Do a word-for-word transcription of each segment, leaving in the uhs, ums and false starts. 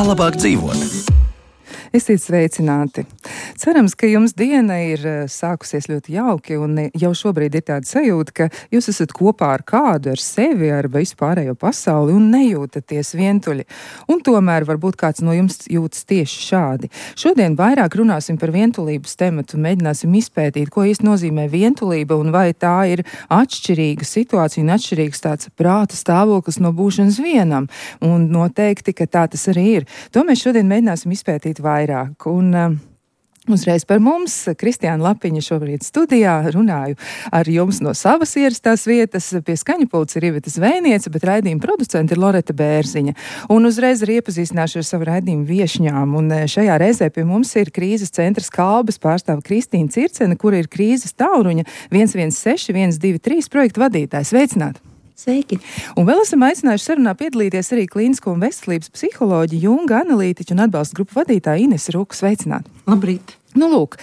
Kā labāk dzīvot? Esiet sveicināti! Cerams, ka jums diena ir sākusies ļoti jauki un jau šobrīd ir tāda sajūta, ka jūs esat kopā ar kādu, ar sevi, ar vispārējo pasauli un nejūtaties vientuļi. Un tomēr varbūt kāds no jums jūtas tieši šādi. Šodien vairāk runāsim par vientulības tematu un mēģināsim izpētīt, ko īsti nozīmē vientulība un vai tā ir atšķirīga situācija un atšķirīgs tāds prāta stāvoklis no būšanas vienam. Un noteikti, ka tā tas arī ir. To mēs šodien mēģināsim izpētīt vairāk. Vairāk. Un uh, uzreiz par mums, Kristiāna Lapiņa šobrīd studijā, runāju ar jums no savas ierastās vietas. Pie skaņu pults ir Iveta Zvēniece, bet raidījuma producenta ir Loreta Bērziņa. Un uzreiz arī iepazīstināšu ar savu raidījumu viešņām. Un šajā reizē pie mums ir krīzes centra Skalbes pārstāve Kristīna Circene, kura ir krīzes tālruņa viens viens seši viens divi trīs projekta vadītājs. Sveicināti! Sveiki! Un vēl esam aicinājuši sarunā piedalīties arī klīnisko un veselības psiholoģi, junga analītiķu un atbalsta grupu vadītāja Inese Ruka. Sveicināti! Labrīt! Nu, lūk,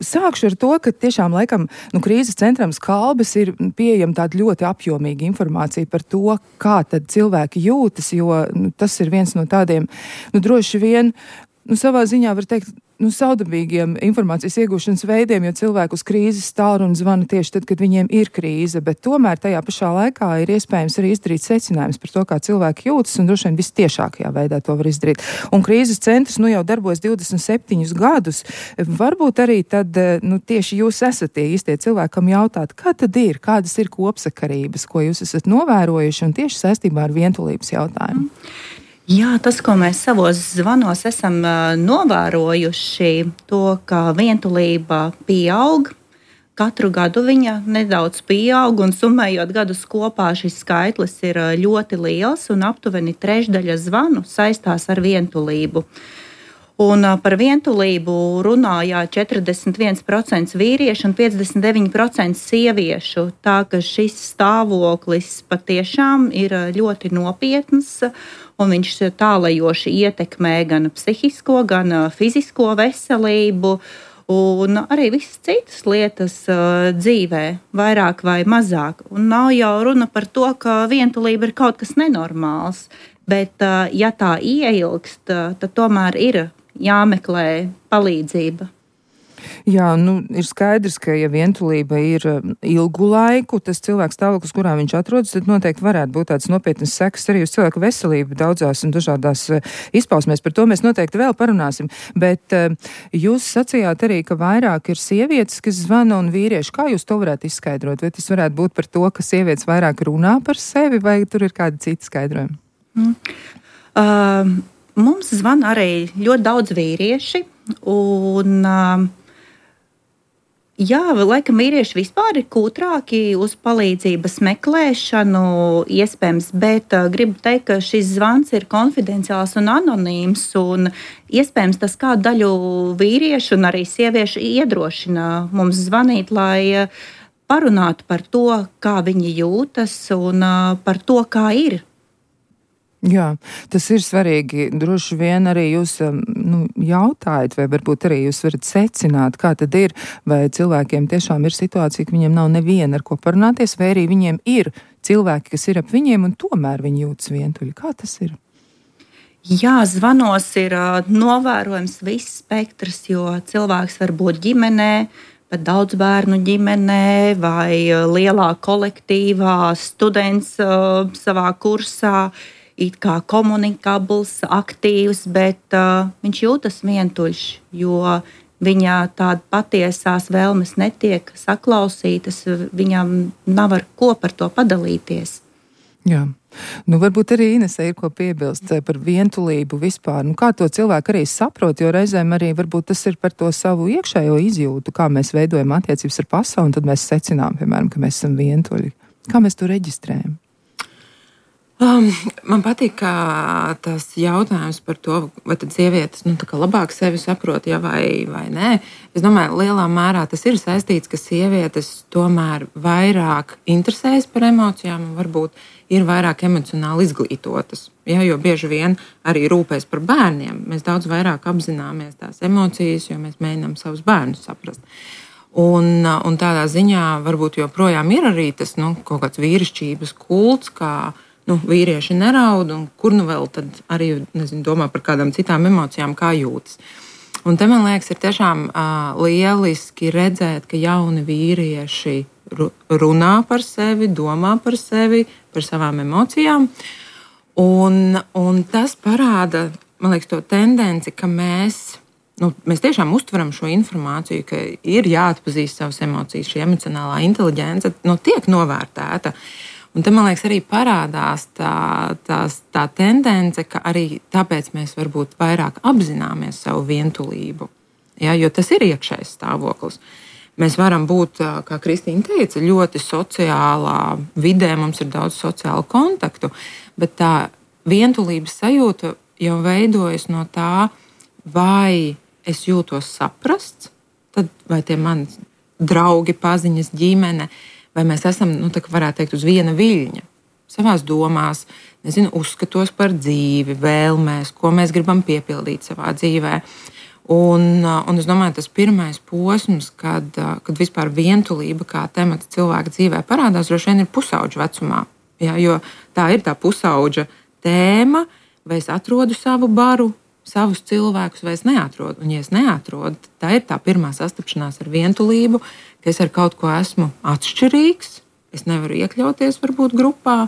sākšu ar to, ka tiešām laikam nu, krīzes centram Skalbes ir pieejama tāda ļoti apjomīga informācija par to, kā tad cilvēki jūtas, jo nu, tas ir viens no tādiem, nu, droši vien, nu, savā ziņā var teikt, nu, saudabīgiem informācijas iegūšanas veidiem, jo cilvēku uz krīzes tālruni zvana tieši tad, kad viņiem ir krīze, bet tomēr tajā pašā laikā ir iespējams arī izdarīt secinājumus par to, kā cilvēki jūtas, un droši vien vistiešākajā veidā to var izdarīt. Un krīzes centrs nu jau darbojas divdesmit septiņus gadus. Varbūt arī tad, nu, tieši jūs esat tie īstie cilvēkam jautāt, kā tad ir, kādas ir kopsakarības, ko jūs esat novērojuši, un tieši saistībā ar vientulības jautājumu. Jā, tas, ko mēs savos zvanos esam uh, novērojuši, to, ka vientulība pieaug. Katru gadu viņa nedaudz pieaug, un summējot gadus kopā, šis skaitlis ir ļoti liels, un aptuveni trešdaļa zvanu saistās ar vientulību. Un uh, par vientulību runāja četrdesmit viens procents vīriešu un piecdesmit deviņi procenti sieviešu. Tā ka šis stāvoklis patiešām ir ļoti nopietns, un viņš tālajoši ietekmē gan psihisko, gan fizisko veselību, un arī visas citas lietas uh, dzīvē, vairāk vai mazāk. Un nav jau runa par to, ka vientulība ir kaut kas nenormāls, bet uh, ja tā ieilgst, uh, tad tomēr ir jāmeklē palīdzība. Jā, nu, ir skaidrs, ka ja vientulība ir ilgu laiku, tas cilvēks stāvoklis, kurā viņš atrodas, tad noteikti varētu būt tāds nopietnas sekas arī uz cilvēku veselību daudzās un dažādās izpausmēs. Par to mēs noteikti vēl parunāsim. Bet jūs sacījāt arī, ka vairāk ir sievietes, kas zvana, un vīrieši. Kā jūs to varētu izskaidrot? Vai tas varētu būt par to, ka sievietes vairāk runā par sevi, vai tur ir kādi citi skaidrojumi? Mm. Uh, mums zvana arī ļoti daudz vīrieši, un uh, jā, laikam vīrieši vispār ir kūtrāki uz palīdzības meklēšanu, iespējams, bet uh, gribu teikt, ka šis zvans ir konfidenciāls un anonīms, un iespējams tas kādu daļu vīriešu un arī sieviešu iedrošina mums zvanīt, lai uh, parunātu par to, kā viņi jūtas un uh, par to, kā ir. Jā, tas ir svarīgi. Droši vien arī jūs nu, jautājat, vai varbūt arī jūs varat secināt, kā tad ir, vai cilvēkiem tiešām ir situācija, ka viņiem nav neviena ar ko parunāties, vai arī viņiem ir cilvēki, kas ir ap viņiem, un tomēr viņi jūtas vientuļi. Kā tas ir? Jā, zvanos ir uh, novērojams viss spektrs, jo cilvēks var būt ģimenē, pat daudz bērnu ģimenē vai uh, lielā kolektīvā, students uh, savā kursā, it kā komunikabls, aktīvs, bet uh, viņš jūtas vientuļš, jo viņa tāda patiesās vēlmes netiek saklausītas, viņam nav ar ko par to padalīties. Jā. Nu, varbūt arī Inesē ir ko piebilst par vientulību vispār. Nu, kā to cilvēku arī saprot, jo reizēm arī varbūt tas ir par to savu iekšējo izjūtu, kā mēs veidojam attiecības ar pasauli, un tad mēs secinām, piemēram, ka mēs esam vientuļi. Kā mēs to reģistrējam? Um, man patīk tas jautājums par to, vai tad sievietes nu, labāk sevi saprot, ja vai, vai nē. Es domāju, lielā mērā tas ir saistīts, ka sievietes tomēr vairāk interesējas par emocijām un varbūt ir vairāk emocionāli izglītotas. Ja, jo bieži vien arī rūpēs par bērniem. Mēs daudz vairāk apzināmies tās emocijas, jo mēs mēģinām savus bērnus saprast. Un, un tādā ziņā varbūt joprojām ir arī tas nu, kaut kāds vīrišķības kults, kā nu, vīrieši neraud, un kur nu vēl tad arī nezinu, domā par kādām citām emocijām, kā jūtas. Un te, man liekas, ir tiešām uh, lieliski redzēt, ka jauni vīrieši runā par sevi, domā par sevi, par savām emocijām. Un, un tas parāda, man liekas, to tendenci, ka mēs, nu, mēs tiešām uztveram šo informāciju, ka ir jāatpazīst savas emocijas, šī emocionālā inteliģence nu, tiek novērtēta. Un te, man liekas, arī parādās tā, tā, tā tendence, ka arī tāpēc mēs varbūt vairāk apzināmies savu vientulību. Ja, jo tas ir iekšējs stāvoklis. Mēs varam būt, kā Kristīna teica, ļoti sociālā vidē, mums ir daudz sociālu kontaktu, bet tā vientulības sajūta jau veidojas no tā, vai es jūtos saprasts, tad vai tie mani draugi, paziņas, ģimene, vai mēs esam, nu, tā varētu teikt, uz viena viļņa, savās domās, nezinu, uzskatos par dzīvi, vēlmēs, ko mēs gribam piepildīt savā dzīvē. Un, un es domāju, tas pirmais posms, kad, kad vispār vientulība kā temats cilvēka dzīvē parādās, droši vien ir pusauģa vecumā. Ja, jo tā ir tā pusauģa tēma, vai es atrodu savu baru, savus cilvēkus, vai es neatrodu. Un, ja es neatrodu, tā ir tā pirmā sastapšanās ar vientulību, ka es ar kaut ko esmu atšķirīgs, es nevaru iekļauties varbūt grupā.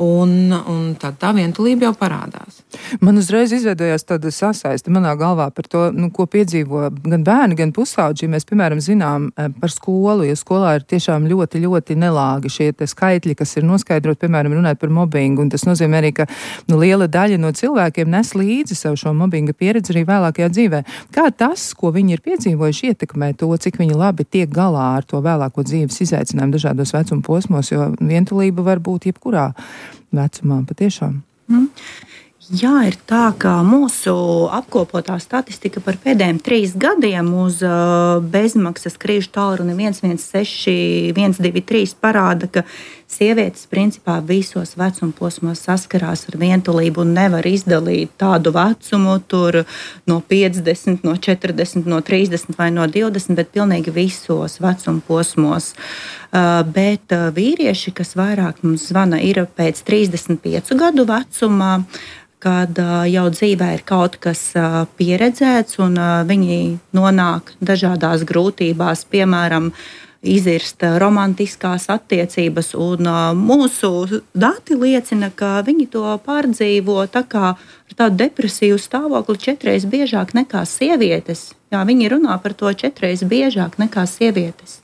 Un, un tad tā vientulība jau parādās. Man uzreiz izveidojās tāda sasaiste manā galvā par to, nu, ko piedzīvo gan bērni, gan pusauģi. Mēs, piemēram, zinām par skolu, jo skolā ir tiešām ļoti, ļoti nelāgi šie skaitļi, kas ir noskaidrot, piemēram, runāt par mobbingu. Un tas nozīmē arī, ka nu, liela daļa no cilvēkiem nes līdzi savu šo mobbinga pieredzi arī vēlākajā dzīvē. Kā tas, ko viņi ir piedzīvojuši, ietekmē to, cik viņi labi tiek galā ar to vēlāko dzīves izaicinājumu dažādos vecuma posmos, jo vientulība var būt jebkurā vecumā patiešām. Mm. Jā, ir tā, ka mūsu apkopotā statistika par pēdējiem trīs gadiem uz uh, bezmaksas krīžu tālruni viens viens seši viens divi trīs parāda, ka sievietes principā visos vecuma posmos saskarās ar vientulību un nevar izdalīt tādu vecumu tur no piecdesmit, no četrdesmit, no trīsdesmit vai no divdesmit, bet pilnīgi visos vecuma posmos. Uh, bet uh, vīrieši, kas vairāk mums zvana, ir pēc trīsdesmit piecu gadu vecumā, kad uh, jau dzīvē ir kaut kas uh, pieredzēts un uh, viņi nonāk dažādās grūtībās, piemēram, izirst romantiskās attiecības, un uh, mūsu dati liecina, ka viņi to pārdzīvo tā kā ar tādu depresīvu stāvokli četreiz biežāk nekā sievietes. Jā, viņi runā par to četreiz biežāk nekā sievietes.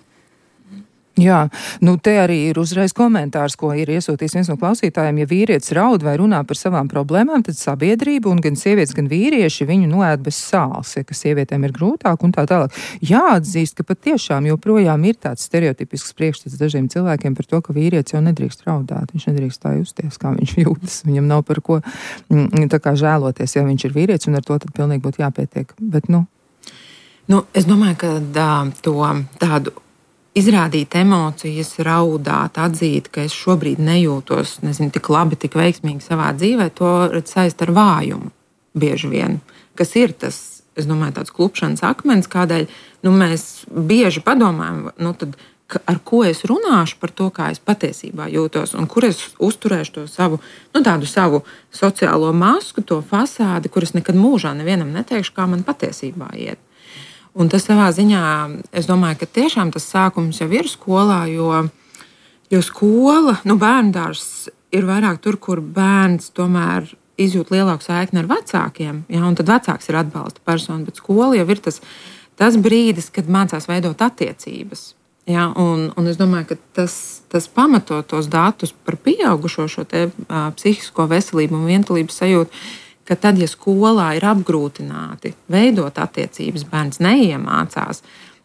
Jā, nu te arī ir uzreiz komentārs, ko ir iesūtījis viens no klausītājiem. Ja vīrietis raud vai runā par savām problēmām, tad sabiedrība un gan sievietes, gan vīrieši viņu noēd bez sāls, ja, ka sievietēm ir grūtāk un tā tālāk. Jāatzīst, ka patiešām joprojām ir tāds stereotipisks priekšstats dažiem cilvēkiem par to, ka vīrietis jau nedrīkst raudāt, viņš nedrīkst tā justies, kā viņš jūtas. Viņam nav par ko tā kā žēloties, ja viņš ir vīrietis, un ar to tad pilnīgi būtu jāpietiek. Bet, nu... Nu, es domāju, ka dā, to tādu izrādīt emocijas, raudāt, atzīt, ka es šobrīd nejūtos nezinu, tik labi, tik veiksmīgi savā dzīvē, to saist ar vājumu bieži vien. Kas ir tas, es domāju, tāds klupšanas akmens, kādēļ nu, mēs bieži padomājam, nu, tad, ar ko es runāšu par to, kā es patiesībā jūtos, un kur es uzturēšu to savu, nu, tādu savu sociālo masku, to fasādi, kuras nekad mūžā nevienam neteikšu, kā man patiesībā iet. Un tas savā ziņā, es domāju, ka tiešām tas sākums jau ir skolā, jo, jo skola, nu bērndārs ir vairāk tur, kur bērns tomēr izjūt lielāku saikni ar vecākiem, ja, un tad vecāks ir atbalsta persona, bet skola jau ir tas, tas brīdis, kad mācās veidot attiecības. Ja, un, un es domāju, ka tas, tas pamato tos datus par pieaugušo šo te uh, psihisko veselību un vientulības sajūtu, ka tad, ja skolā ir apgrūtināti veidot attiecības, bērns neiemācās,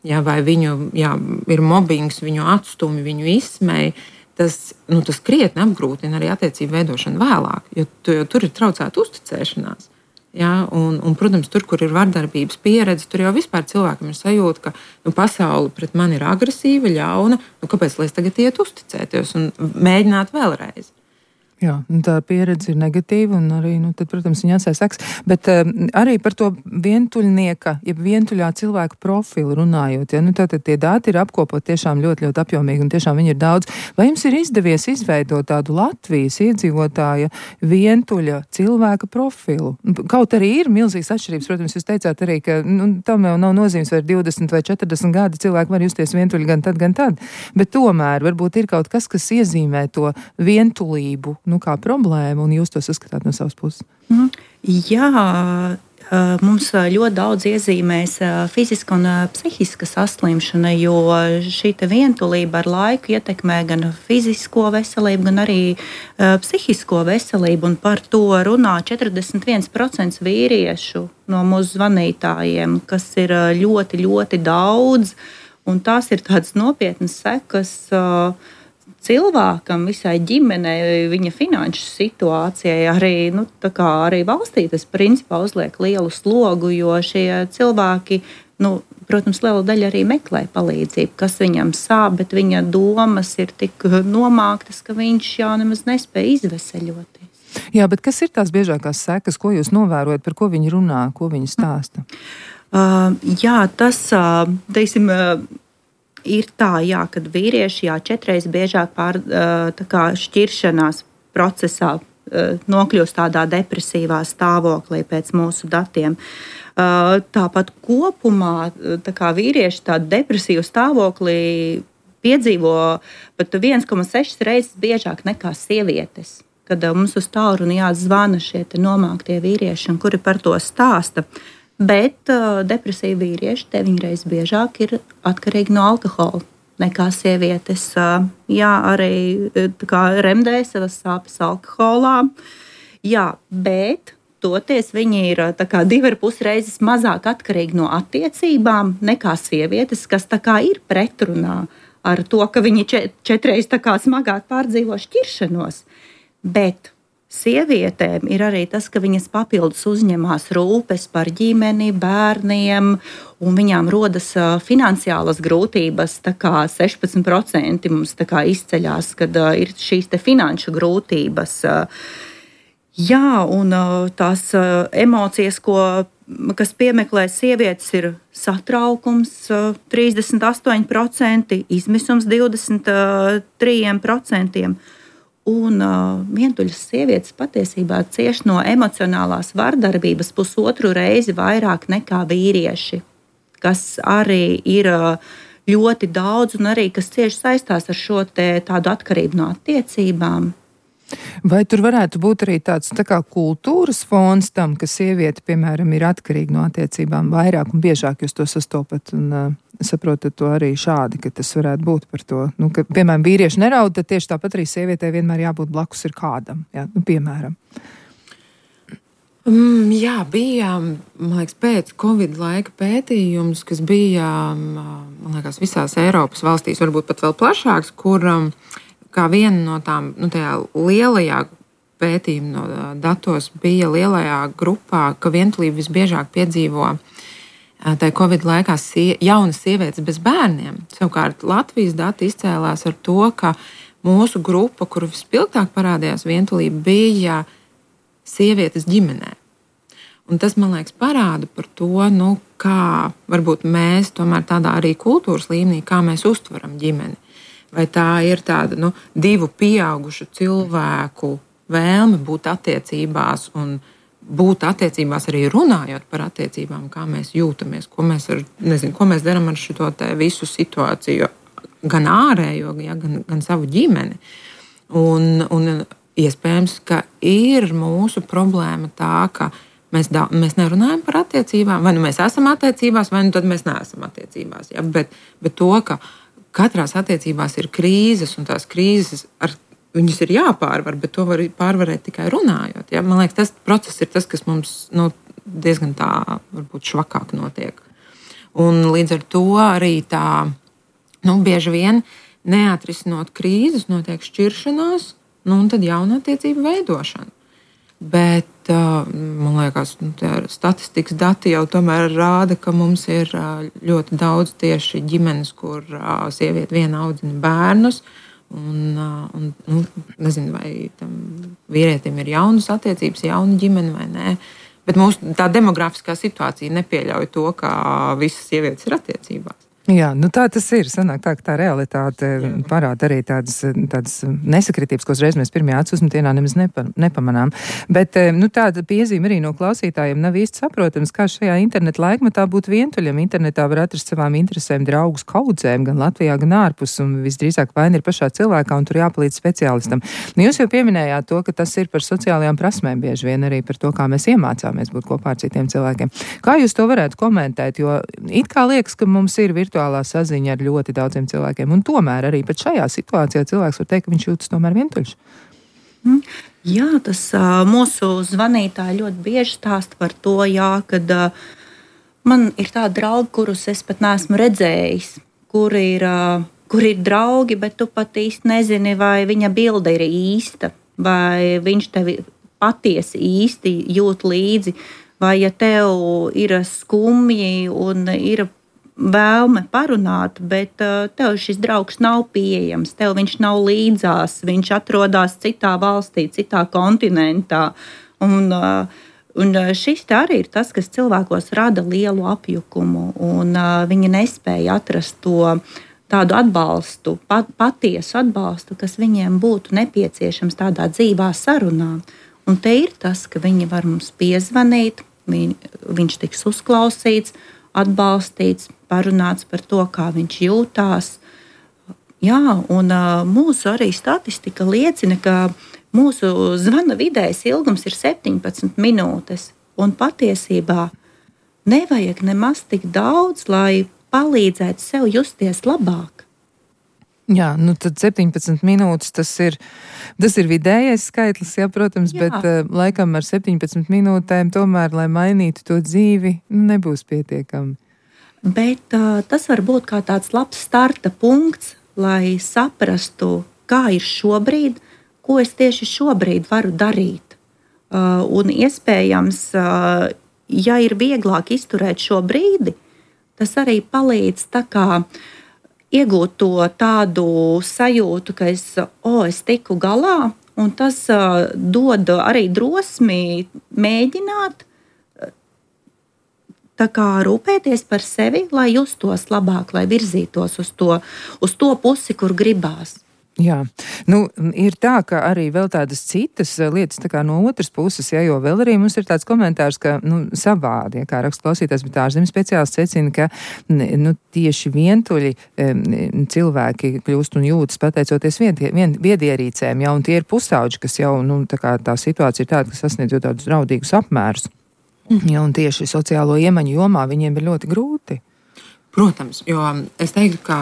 ja, vai viņu ja, ir mobbings, viņu atstumi, viņu izsmej, tas, nu, tas krietni apgrūtina arī attiecību veidošanu vēlāk, jo, jo tur ir traucēta uzticēšanās. Ja, un, un, protams, tur, kur ir vardarbības pieredze, tur jau vispār cilvēkam ir sajūta, ka nu, pasaule pret mani ir agresīva, ļauna, nu, kāpēc lai es tagad iet uzticēties un mēģināt vēlreiz? Jā, tā pieredze ir negatīva un arī, nu, tad, protams, viņa atstāja sekas. Bet uh, arī par to vientuļnieka, ja vientuļā cilvēka profilu runājot, ja, nu, tātad tie dati ir apkopot tiešām ļoti, ļoti apjomīgi un tiešām viņi ir daudz. Vai jums ir izdevies izveidot tādu Latvijas iedzīvotāja vientuļa cilvēka profilu? Kaut arī ir milzīgas atšķirības, protams, jūs teicāt arī, ka, nu, tam jau nav nozīmes vai divdesmit vai četrdesmit gadi cilvēki var justies vientuļi gan tad, gan tad. Bet tomēr varbūt ir kaut kas, kas iezīmē to vientulību, nu, kā problēmu, un jūs to saskatāt no savas puses? Mm. Jā, mums ļoti daudz iezīmēs fiziska un psihiska saslimšana, jo šī vientulība ar laiku ietekmē gan fizisko veselību, gan arī psihisko veselību, un par to runā četrdesmit viens procents vīriešu no mūsu zvanītājiem, kas ir ļoti, ļoti daudz, un tās ir tādas nopietnas sekas cilvēkam, visai ģimenei, viņa finanšu situācijai, arī, nu, tā kā arī valstī tas principā uzliek lielu slogu, jo šie cilvēki, nu, protams, liela daļa arī meklē palīdzību, kas viņam sāp, bet viņa domas ir tik nomāktas, ka viņš jau nemaz nespēja izveseļoties. Jā, bet kas ir tās biežākās sekas, ko jūs novērojat, par ko viņi runā, ko viņi stāsta? Uh, jā, tas, uh, teiksim, uh, ir tā, jā, kad vīrieši jā, četreiz biežāk pār, tā kā šķiršanās procesā nokļūst tādā depresīvā stāvoklī pēc mūsu datiem. Tāpat kopumā tā kā vīrieši tādu depresīvu stāvoklī piedzīvo pat viens komats seši reizes biežāk nekā sievietes. Kad mums uz tālruni jāzvana šie nomāktie vīrieši, kuri par to stāsta. Bet uh, depresīvi vīrieši deviņreiz biežāk ir atkarīgi no alkohola nekā sievietes. Uh, jā, arī kā, remdē savas sāpes alkoholā. Jā, bet toties viņi ir tā kā divi ar pus reizes mazāk atkarīgi no attiecībām nekā sievietes, kas tā kā ir pretrunā ar to, ka viņi čet, četreiz tā kā smagāk pārdzīvo šķiršanos. Bet sievietēm ir arī tas, ka viņas papildus uzņemās rūpes par ģimeni, bērniem, un viņām rodas uh, finansiālas grūtības. Tā kā sešpadsmit procenti mums tā kā izceļās, kad uh, ir šīs te finanšu grūtības. Uh, jā, un uh, tās uh, emocijas, ko, kas piemeklē sievietes, ir satraukums uh, trīsdesmit astoņi procenti, izmisums divdesmit trīs procenti. Un uh, vientuļas sievietes patiesībā cieš no emocionālās vardarbības pusotru reizi vairāk nekā vīrieši, kas arī ir uh, ļoti daudz un arī kas cieši saistās ar šo te, tādu atkarību no attiecībām. Vai tur varētu būt arī tāds tā kā kultūras fons tam, ka sieviete, piemēram, ir atkarīga no attiecībām vairāk un biežāk jūs to sastopat un uh, saprotat to arī šādi, ka tas varētu būt par to, nu, ka, piemēram, vīrieši neraud, tad tieši tāpat arī sievietei vienmēr jābūt blakus ir kādam, jā, nu, piemēram. Mm, jā, bija, man liekas, pēc Covid laika pētījums, kas bija, man liekas, visās Eiropas valstīs, varbūt pat vēl plašāks, kur um, kā viena no tām, nu, tajā lielajā pētījuma no datos bija lielajā grupā, ka vientulību visbiežāk piedzīvo tajā Covid laikā sie, jaunas sievietes bez bērniem. Savukārt Latvijas dati izcēlās ar to, ka mūsu grupa, kuru vispilgtāk parādījās vientulība, bija sievietes ģimenē. Un tas, man liekas, parāda par to, nu, kā varbūt mēs tomēr tādā arī kultūras līmenī, kā mēs uztveram ģimeni. Vai tā ir tāda, nu, divu pieaugušu cilvēku vēlme būt attiecībās un būt attiecībās arī runājot par attiecībām, kā mēs jūtamies, ko mēs, ar, nezinu, ko mēs darām ar šo te visu situāciju, gan ārējo, ja, gan, gan savu ģimeni. Un, un iespējams, ka ir mūsu problēma tā, ka mēs, da, mēs nerunājam par attiecībām, vai nu mēs esam attiecībās, vai nu tad mēs neesam attiecībās. Ja? Bet, bet to, ka katrās attiecībās ir krīzes, un tās krīzes ar viņas ir jāpārvar, bet to var pārvarēt tikai runājot. Ja? Man liekas, tas process ir tas, kas mums nu, diezgan tā, varbūt švakāk notiek. Un līdz ar to arī tā, nu, bieži vien neatrisinot krīzes, notiek šķiršanās, nu, un tad jauna attiecība veidošana. Bet, man liekas, nu, statistikas dati jau tomēr rāda, ka mums ir ļoti daudz tieši ģimenes, kur sieviete viena audzina bērnus, Un, un, nu, nezinu, vai tam vīrietim ir jaunas attiecības, jauna ģimene vai nē. Bet mūsu tā demografiskā situācija nepieļauj to, ka visas sievietes ir attiecībās. Jā, nu tā tas ir. Sanāk tā, ka tā realitāte Jā. parāda arī tādas, tādas nesakritības, ko uzreiz mēs pirmajā acu uzmetienā nemaz nepa, nepamanām. Bet nu, tāda piezīme arī no klausītājiem nav īsti saprotams, kā šajā interneta laikmetā būt vientuļam. Internetā var atrast savām interesēm draugus kaudzēm, gan Latvijā, gan ārpus, un visdrīzāk vaina ir pašā cilvēkā, un tur jāpalīdz speciālistam. Nu, jūs jau pieminējāt to, ka tas ir par sociālajām prasmēm, bieži vien arī par to, kā mēs iemācāmies būt kopā ar citiem cilvēkiem. Kā jūs to varētu komentēt? Jo it kā liekas, ka mums ir virtuālā saziņa ar ļoti daudziem cilvēkiem. Un tomēr arī pat šajā situācijā cilvēks var teikt, ka viņš jūtas tomēr vientuļš. Jā, tas mūsu zvanītāji ļoti bieži stāsta par to, jā, kad man ir tādi draugi, kurus es pat neesmu redzējis, kur ir, kur ir draugi, bet tu pat īsti nezini, vai viņa bilde ir īsta, vai viņš tevi patiesi īsti jūt līdzi, vai ja tev ir skumji un ir vēlme parunāt, bet uh, tev šis draugs nav pieejams, tev viņš nav līdzās, viņš atrodas citā valstī, citā kontinentā. Un, uh, un šis te arī ir tas, kas cilvēkos rada lielu apjukumu, un uh, viņi nespēja atrast to tādu atbalstu, pat, patiesu atbalstu, kas viņiem būtu nepieciešams tādā dzīvā sarunā. Un te ir tas, ka viņi var mums piezvanīt, viņ, viņš tiks uzklausīts, atbalstīts, parunāts par to, kā viņš jūtās. Jā, un uh, mūsu arī statistika liecina, ka mūsu zvana vidējais ilgums ir septiņpadsmit minūtes. Un patiesībā nevajag nemaz tik daudz, lai palīdzētu sev justies labāk. Jā, nu tad septiņpadsmit minūtes tas ir, tas ir vidējais skaitlis, jā, protams, jā. Bet uh, laikam ar septiņpadsmit minūtēm tomēr, lai mainītu to dzīvi, nebūs pietiekami. Bet uh, tas var būt kā tāds labs starta punkts, lai saprastu, kā ir šobrīd, ko es tieši šobrīd varu darīt. Uh, un iespējams, uh, ja ir vieglāk izturēt šo brīdi, tas arī palīdz tā kā iegūt to tādu sajūtu, ka es, o, es tiku galā, un tas uh, dod arī drosmi mēģināt tā kā rūpēties par sevi, lai justos labāk, lai virzītos uz to, uz to pusi, kur gribās. Jā, nu, ir tā, ka arī vēl tādas citas lietas tā kā no otras puses, ja, jo vēl arī mums ir tāds komentārs, ka, nu, savādi, ja, kā raksta klausītājs, bet ārzemju speciālists secina, ka, nu, tieši vientuļi cilvēki kļūst un jūtas pateicoties viedierīcēm, ja, un tie ir pusauģi, kas jau, nu, tā kā tā situācija ir tāda, kas sasniedz jau tādus draudīgus apmērus. Ja, un tieši sociālo iemaņu jomā viņiem ir ļoti grūti. Protams, jo es teiktu, ka,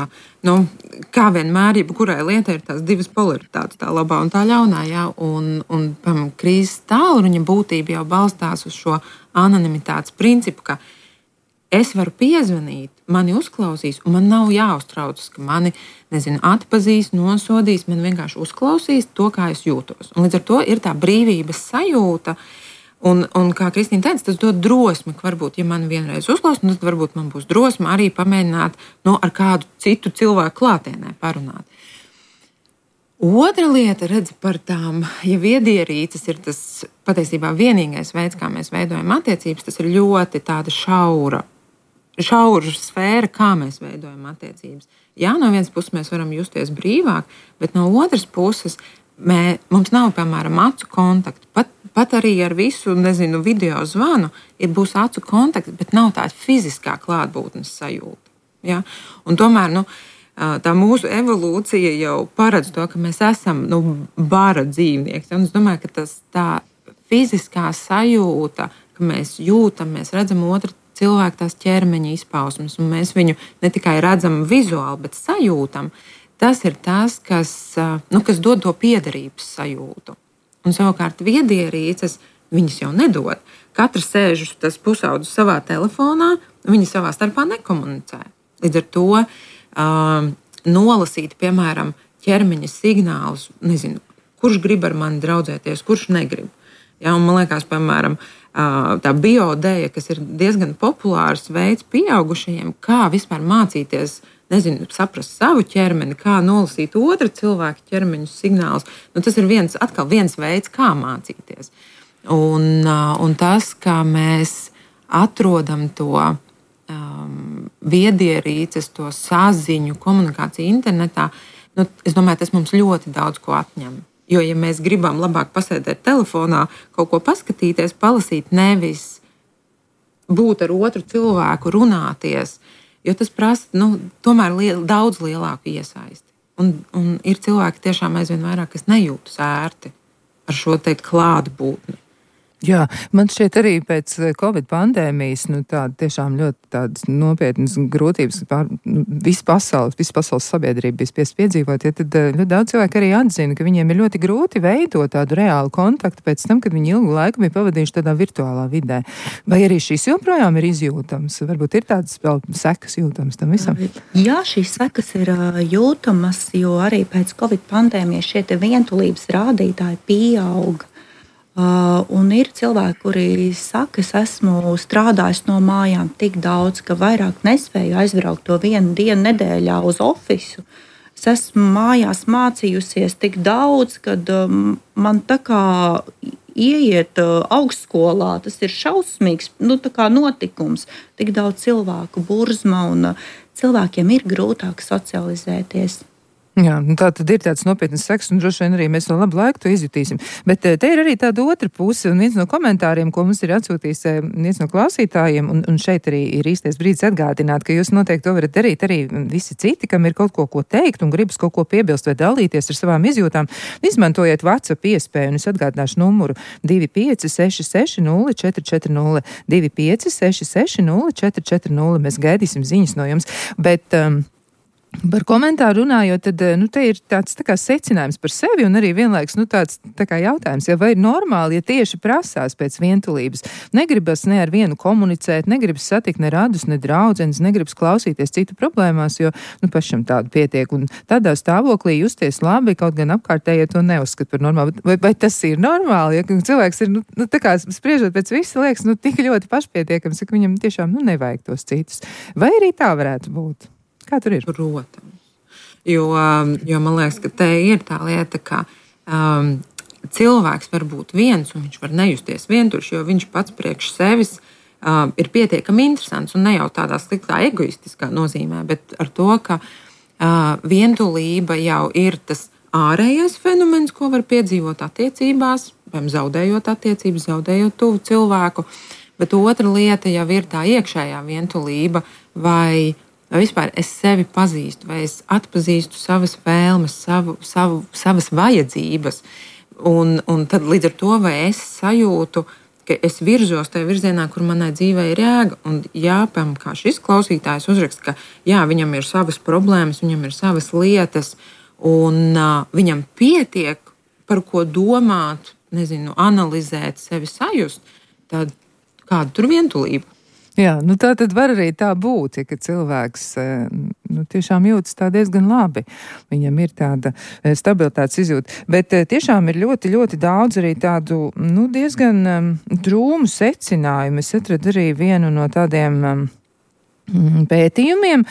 nu, kā vienmēr, jebkurai lietai ir tās divas polaritātes, tā labā un tā ļaunā, jā, un, un pam, krīzes tālruņa būtība jau balstās uz šo anonimitātes principu, ka es varu piezvanīt, mani uzklausīs, un man nav jāuztraucas, ka mani, nezinu, atpazīs, nosodīs, man vienkārši uzklausīs to, kā es jūtos. Un līdz ar to ir tā brīvības sajūta. Un, un kā Kristīna teica, tas dod drosmi, ka varbūt, ja man vienreiz uzklausīs, tad varbūt man būs drosme arī pamēģināt no, ar kādu citu cilvēku klātienē parunāt. Otra lieta, redz, par tām, ja viedierīces ir tas patiesībā vienīgais veids, kā mēs veidojam attiecības, tas ir ļoti tāda šaura, šaura sfēra, kā mēs veidojam attiecības. Jā, no vienas puses mēs varam justies brīvāk, bet no otras puses mē, mums nav, piemēram, acu kontaktu. Pat Pat arī ar visu, nezinu, video zvanu ir būs acu kontakts, bet nav tāda fiziskā klātbūtnes sajūta. Ja? Un tomēr nu, tā mūsu evolūcija jau paredz to, ka mēs esam nu, bara dzīvnieki. Un es domāju, ka tas tā fiziskā sajūta, ka mēs jūtam, mēs redzam otru cilvēku tās ķermeņa izpausmes, un mēs viņu ne tikai redzam vizuāli, bet sajūtam, tas ir tas, kas, nu, kas dod to piederības sajūtu. Un savukārt viedierīces viņas jau nedod. Katrs sēž tas pusaudzis savā telefonā, viņi savā starpā nekomunicē. Līdz ar to uh, nolasīt, piemēram, ķermeņa signālus, nezinu, kurš grib ar mani draudzēties, kurš negrib. Ja, un man liekas, piemēram, uh, tā biodēja, kas ir diezgan populārs veids pieaugušajiem, kā vispār mācīties, nezinu, saprast savu ķermeni, kā nolasīt otra cilvēka ķermeņa signālus. Nu, tas ir viens, atkal viens veids, kā mācīties. Un, un tas, kā mēs atrodam to um, viedierīces, to saziņu, komunikāciju internetā, nu, es domāju, tas mums ļoti daudz ko atņem. Jo, ja mēs gribam labāk pasēdēt telefonā, kaut ko paskatīties, palasīt, nevis būt ar otru cilvēku, runāties, jo tas prasa nu, tomēr liel, daudz lielāku iesaisti. Un, un ir cilvēki tiešām aizvien vairāk, kas nejūtas ērti ar šo te klātbūtni. Jā, man šķiet arī pēc Covid pandēmijas, nu tāda tiešām ļoti tādas nopietnas grūtības, pār, nu, visu pasaules, visu pasaules sabiedrību bija spiest piedzīvot, ja tad ļoti daudz cilvēku arī atzina, ka viņiem ir ļoti grūti veidot tādu reālu kontaktu pēc tam, kad viņi ilgu laiku bija pavadījuši tādā virtuālā vidē. Vai arī šīs joprojām ir izjūtams? Varbūt ir tādas vēl sekas jūtams tam visam? Jā, šīs sekas ir jūtamas, jo arī pēc Covid pandēmijas šie te vientulības rādītāji pieauga. Uh, un ir cilvēki, kuri saka, es esmu strādājis no mājām tik daudz, ka vairāk nespēju aizbraukt to vienu dienu nedēļā uz ofisu. Es esmu mājās mācījusies tik daudz, kad um, man tā kā ieiet uh, augstskolā, tas ir šausmīgs nu, tā kā notikums. Tik daudz cilvēku burzma un uh, cilvēkiem ir grūtāk socializēties. Jā, tā tad ir tāds nopietnas seks, un droši vien arī mēs no labu laiku to izjutīsim. Bet te ir arī tāda otra puse, un viens no komentāriem, ko mums ir atsūtījis viens no klausītājiem, un, un šeit arī ir īstais brīdis atgādināt, ka jūs noteikti to varat darīt arī visi citi, kam ir kaut ko, ko teikt, un gribas kaut ko piebilst vai dalīties ar savām izjūtām. Izmantojiet WhatsApp iespēju, un es atgādināšu numuru divi pieci seši seši nulle četri četri nulle, divi pieci seši seši nulle četri četri nulle. Mēs gaidīsim ziņas no jums, bet... Um, Par komentāru runājot, tad nu, te ir tāds tā kā secinājums par sevi un arī vienlaiks nu, tāds tā kā jautājums, ja vai ir normāli, ja tieši prasās pēc vientulības. Negribas ne ar vienu komunicēt, negribas satikt ne radus, ne draudzenes, negribas klausīties citu problēmās, jo nu, pašam tādu pietiek. Un tādā stāvoklī justies labi, kaut gan apkārtējie to neuzskat par normālu. Vai, vai tas ir normāli, ja cilvēks ir, nu, nu tā kā spriežot pēc visa, liekas, nu tik ļoti pašpietiekams, ka viņam tiešām nu, nevajag tos citus. Vai arī tā varētu būt? Kā tur ir? Protams. Jo, jo man liekas, ka te ir tā lieta, ka um, cilvēks var būt viens un viņš var nejusties vientuļš, jo viņš pats priekš sevis um, ir pietiekami interesants un ne jau tādā sliktā egoistiskā nozīmē, bet ar to, ka uh, vientulība jau ir tas ārējais fenomens, ko var piedzīvot attiecībās, vai zaudējot attiecības, zaudējot tuvu cilvēku, bet otra lieta jau ir tā iekšējā vientulība vai Vai vispār es sevi pazīstu, vai es atpazīstu savas vēlmes, savu, savu, savas vajadzības. Un, un tad līdz ar to, vai es sajūtu, ka es virzos tajā virzienā, kur manai dzīvē ir jēga. Un jā, piemēram, kā šis klausītājs uzraksta, ka jā, viņam ir savas problēmas, viņam ir savas lietas, un uh, viņam pietiek par ko domāt, nezinu, analizēt, sevi sajust, tad kāda tur vientulība? Jā, nu tā tad var arī tā būt, ja, ka cilvēks nu, tiešām jūtas tā diezgan labi. Viņam ir tāda stabilitātes izjūta. Bet tiešām ir ļoti, ļoti daudz arī tādu nu, diezgan um, drūmu secinājumu. Es atradu arī vienu no tādiem... Um, pētījumiem,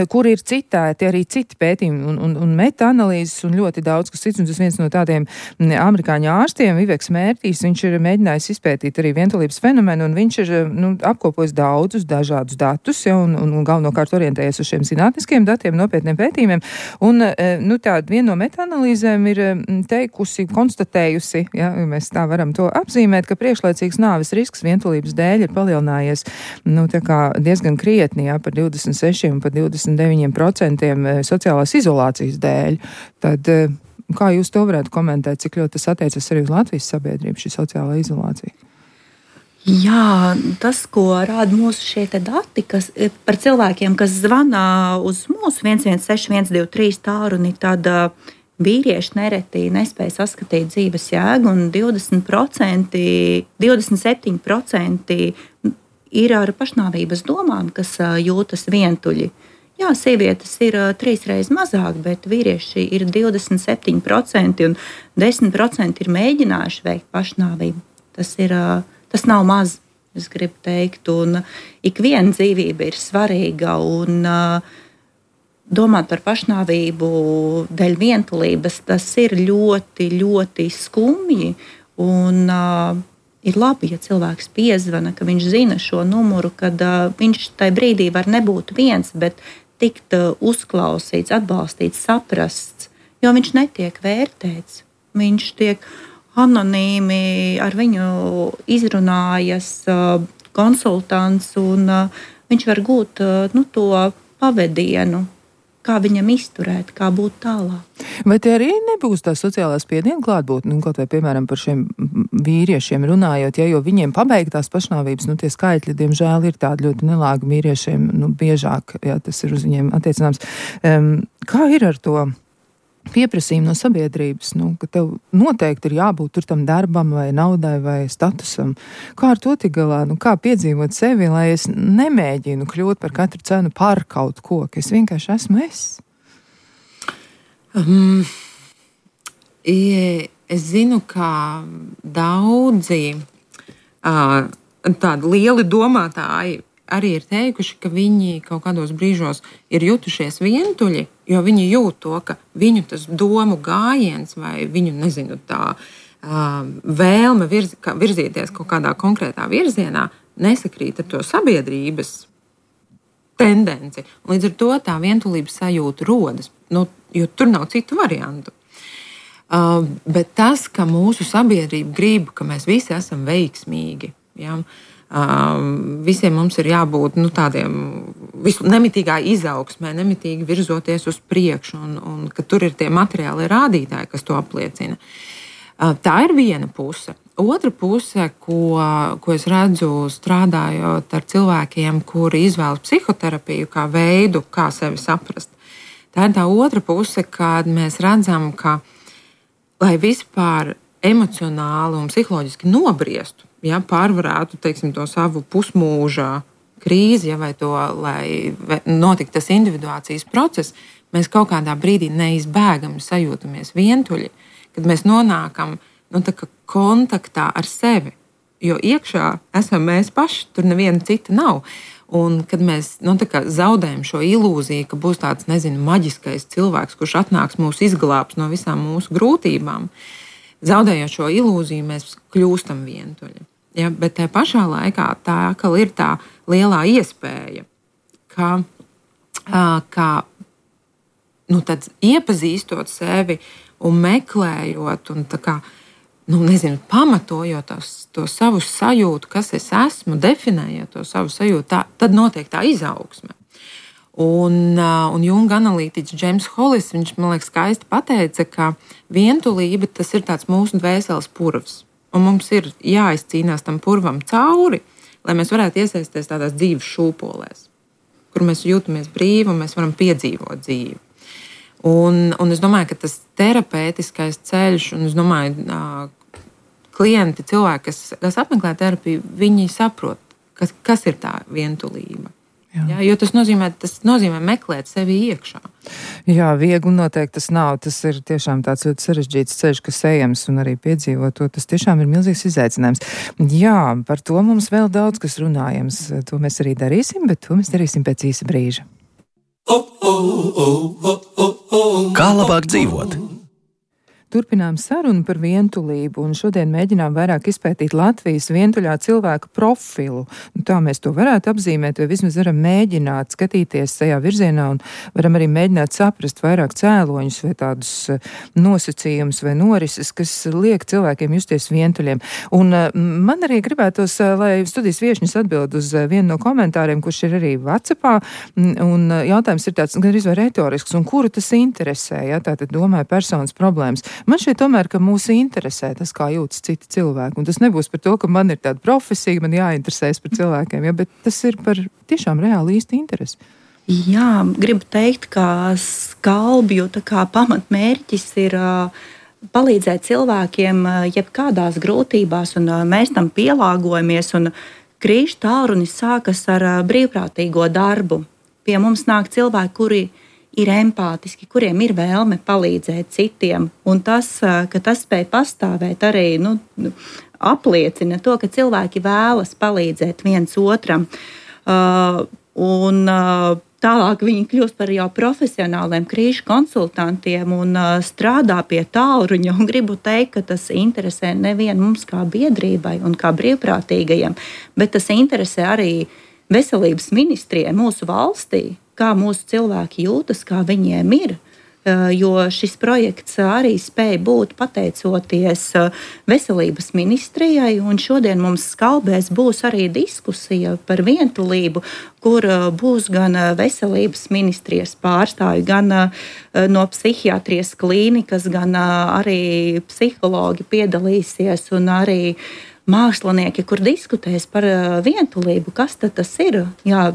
kur ir citēti arī citi pētījumi un, un, un meta-analīzes un ļoti daudz, kas cits, un tas viens no tādiem amerikāņu ārstiem, Viveks Mērtīs, viņš ir mēģinājis izpētīt arī vientulības fenomenu, un viņš ir nu, apkopojis daudzus dažādus datus, ja, un, un, un galvenokārt orientējies uz šiem zinātniskiem datiem, nopietniem pētījumiem, un nu, tāda viena no meta-analīzēm ir teikusi, konstatējusi, ja, mēs tā varam to apzīmēt, ka priekšlaicīgs nāves risks vientulības dēļ ir palielinājies nu, tā kā diezgan krietni, jā, par divdesmit seši un par divdesmit deviņi procenti sociālās izolācijas dēļ. Tad kā jūs to varētu komentēt, cik ļoti tas attiecas arī uz Latvijas sabiedrību, šī sociālā izolācija? Jā, tas, ko rāda mūsu šie te dati, kas par cilvēkiem, kas zvana uz mūsu viens viens seši viens divi trīs tālruni, tad vīrieši nereti nespēja saskatīt dzīves jēgu, un divdesmit procenti, divdesmit septiņi procenti ir ar pašnāvības domām, kas jūtas vientuļi. Jā, sievietes ir trīs reizes mazāk, bet vīrieši ir divdesmit septiņi procenti un desmit procenti ir mēģinājuši veikt pašnāvību. Tas, ir, tas nav maz, es gribu teikt, un ik viena dzīvība ir svarīga, un domāt par pašnāvību dēļ vientulības, tas ir ļoti, ļoti skumji. Un, uh, ir labi, ja cilvēks piezvana, ka viņš zina šo numuru, kad uh, viņš tajā brīdī var nebūt viens, bet tikt uh, uzklausīts, atbalstīts, saprasts, jo viņš netiek vērtēts. Viņš tiek anonīmi ar viņu izrunājas uh, konsultants, un uh, viņš var gūt uh, nu, to pavedienu, kā viņam izturēt, kā būt tālāk. Vai tie arī nebūs tā sociālā spiediena klātbūt, nu, kaut vai, piemēram, par šiem vīriešiem runājot, ja, jo viņiem pabeigtās pašnāvības, nu, tie skaitļi, diemžēl, ir tādi ļoti nelāgi vīriešiem, nu, biežāk, jā, tas ir uz viņiem attiecināms. Um, kā ir ar to pieprasījumu no sabiedrības, nu, ka tev noteikti ir jābūt tur tam darbam vai naudai vai statusam? Kā ar to tik galā? Nu, kā piedzīvot sevi, lai es nemēģinu kļūt par katru cenu par kaut ko, ka es vienkārši esmu es? Um, es zinu, ka daudzi uh, tādi lieli domātāji arī ir teikuši, ka viņi kaut kādos brīžos ir jutušies vientuļi, jo viņi jūt to, ka viņu tas domu gājiens vai viņu, nezinu, tā uh, vēlme virz, ka, virzīties kaut kādā konkrētā virzienā nesakrīt ar to sabiedrības tendenci. Līdz ar to tā vientulības sajūta rodas, nu, jo tur nav citu variantu. Uh, bet tas, ka mūsu sabiedrība grib, ka mēs visi esam veiksmīgi, ja, Uh, visiem mums ir jābūt nu, tādiem nemitīgā izaugsmē, nemitīgi virzoties uz priekšu, un, un ka tur ir tie materiāli rādītāji, kas to apliecina. Uh, tā ir viena puse. Otra puse, ko, ko es redzu strādājot ar cilvēkiem, kuri izvēlas psihoterapiju kā veidu, kā sevi saprast. Tā ir tā otra puse, kad mēs redzam, ka lai vispār emocionāli un psiholoģiski nobriestu, ja, pārvarētu, teiksim, to savu pusmūža krīzi, ja, vai to, lai notiktu tas individuācijas process, mēs kaut kādā brīdī neizbēgami sajūtamies vientuļi, kad mēs nonākam nu, tā kā kontaktā ar sevi, jo iekšā esam mēs paši, tur neviena cita nav. Un kad mēs nu, tā kā zaudējam šo ilūziju, ka būs tāds, nezinu, maģiskais cilvēks, kurš atnāks mūs izglābs no visām mūsu grūtībām, zaudējot šo ilūziju, mēs kļūstam vientuļi. Ja, bet tajā pašā laikā tā atkal ir tā lielā iespēja, ka, ka nu, iepazīstot sevi un meklējot un tā kā, nu, nezinu, pamatojot tos, to savu sajūtu, kas es esmu, definējot to savu sajūtu, tā, tad notiek tā izaugsme. Un, un Junga analītiķis Džeims Hollis, viņš, man liekas, skaisti pateica, ka vientulība tas ir tāds mūsu dvēseles purvs. Un mums ir jāizcīnās tam purvam cauri, lai mēs varētu iesaisties tādās dzīves šūpolēs, kur mēs jūtamies brīvi un mēs varam piedzīvot dzīvi. Un, un es domāju, ka tas terapeitiskais ceļš, un es domāju, klienti, cilvēki, kas, kas apmeklē terapiju, viņi saprot, kas, kas ir tā vientulība. Jā. Jā, jo tas nozīmē, tas nozīmē meklēt sevi iekšā. Jā, viegli noteikti tas nav. Tas ir tiešām tāds ļoti sarežģīts ceļš, kas ejams, un arī piedzīvot to. Tas tiešām ir milzīgs izaicinājums. Jā, par to mums vēl daudz kas runājams. To mēs arī darīsim, bet to mēs darīsim pēc īsa brīža. Kā labāk dzīvot? Turpinām sarunu par vientulību, un šodien mēģinām vairāk izpētīt Latvijas vientuļā cilvēka profilu. Nu, tā mēs to varētu apzīmēt, vai vismaz varam mēģināt skatīties tajā virzienā, un varam arī mēģināt saprast vairāk cēloņus vai tādus nosacījumus vai norises, kas liek cilvēkiem justies vientuļiem. Un man arī gribētos, lai studijas viešņas atbild uz vienu no komentāriem, kurš ir arī WhatsAppā, un jautājums ir tāds, gan arī retorisks, un kuru tas interesē, ja, tātad domāju personas problēmas. Man šķiet tomēr, ka mūs interesē tas, kā jūtas citi cilvēki. Un tas nebūs par to, ka man ir tāda profesija, man jāinteresēs par cilvēkiem, ja, bet tas ir par tiešām reāli īsti interesi. Jā, gribu teikt, ka skalbju tā kā pamatmērķis ir uh, palīdzēt cilvēkiem uh, jebkādās grūtībās, un uh, mēs tam pielāgojamies. Un krīžu tālrunis sākas ar uh, brīvprātīgo darbu. Pie mums nāk cilvēki, kuri ir empātiski, kuriem ir vēlme palīdzēt citiem. Un tas, ka tas spēj pastāvēt, arī nu, apliecina to, ka cilvēki vēlas palīdzēt viens otram. Uh, un uh, tālāk viņi kļūst par jau profesionāliem krīžu konsultantiem un uh, strādā pie tālruņa. Un gribu teikt, ka tas interesē nevienu mums kā biedrībai un kā brīvprātīgajiem, bet tas interesē arī veselības ministrijai mūsu valstī, kā mūsu cilvēki jūtas, kā viņiem ir. Jo šis projekts arī spēja būt pateicoties veselības ministrijai, un šodien mums Skalbēs būs arī diskusija par vientulību, kur būs gan veselības ministrijas pārstāvji, gan no psihiatrijas klīnikas, gan arī psihologi piedalīsies un arī mākslinieki, kur diskutēs par vientulību, kas tad tas ir. Jā,